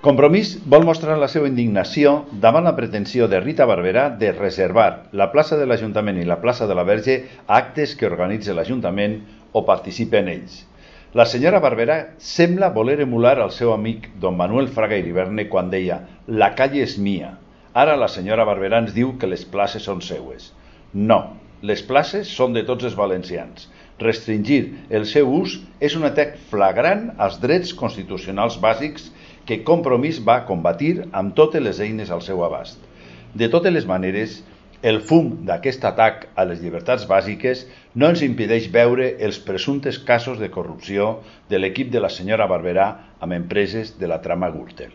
Compromís vol mostrar la seva indignació davant la pretensió de Rita Barberà de reservar la plaça de l'Ajuntament i la plaça de la Verge a actes que organitza l'Ajuntament o participa en ells. La senyora Barberà sembla voler emular el seu amic don Manuel Fraga Iriberne quan deia «La calle és mia». Ara la senyora Barberà ens diu que les places són seues. No, les places són de tots els valencians. Restringir el seu ús és un atac flagrant als drets constitucionals bàsics que Compromís va combatir amb totes les eines al seu abast. De totes les maneres, el fum d'aquest atac a les llibertats bàsiques no ens impedeix veure els presumptes casos de corrupció de l'equip de la senyora Barberà amb empreses de la trama Gürtel.